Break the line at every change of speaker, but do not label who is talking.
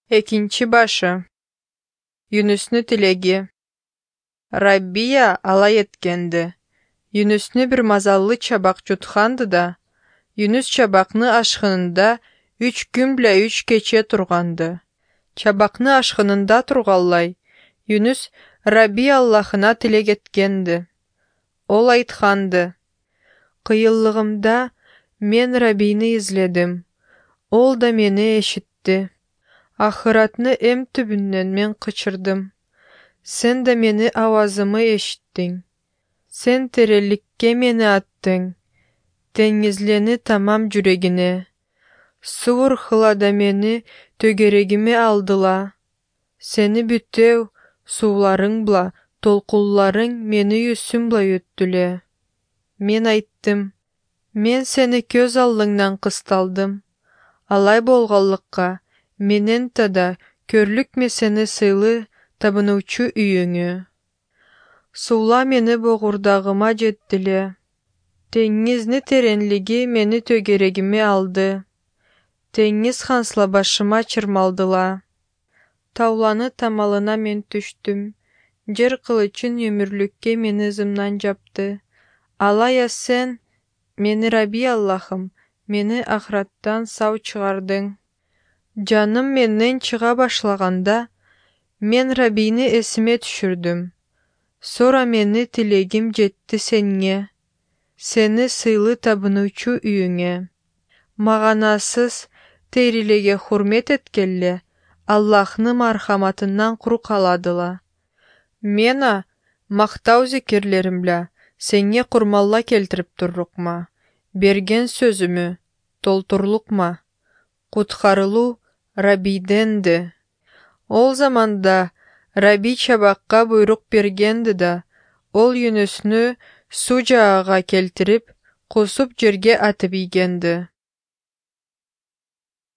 Экинчи башы. Юнустун тилеги. Раббия алай эткенди. Юнусту бир мазаллы чабак жутканды да, Юнус чабакны ашкынында 3 күн биле 3 кече турганды. Чабакны ашкынында тургаллай, Юнус Рабби Аллахына тилек эткенди. Ол айтканды: «Кыйынлыгымда мен Раббини изледим. Ол да мени эшитти. Ахыратны эм түбүнөн мен кычырдым. Сен да мени авазымы эшиттиң. Сен тереликке мени аттың. Деңизлени тамам жүрегине. Суур хылада мени төгерегиме алдыла. Сени бүтөв сууларың бла, толкунларың мени үсүм-бла өттүлө. Мен айттым: мен сени көз алдыңдан кысталдым. Алай болганлыкка менен тада көрлүкме сени сыйлы табынуучу үйүңө. Суула мени богурдагыма жеттиле. Деңизни тереңлиги мени төгерегиме алды. Деңиз хансла башыма чырмалдыла. Тауланы тамалына мен түштүм. Жер кылычын өмүрлүккө мени ызымдан жапты. Алая сен, мени Рабби Аллахым, мени ахыраттан сау чыгардың. Жаным менден чыга башлаганда, мен Раббини эсиме түшүрдүм. Сора мени тилегим жетти сенге, сени сыйлы табынуучу үйүңө. Маганасыз терилеге хурмет эткеле, Аллахны мархаматынан кур каладыла. Мена мактау зикирлерим бля сенге курмалла келтирип туррукма. Берген сөзүмү толтурлукма. Куткарылуу Раббиденди. Ол заманда Рабби чабакка буйрук бергенди да, ол Юнусту суу жаагага келтирип, кусуп жерге атып ийгенди.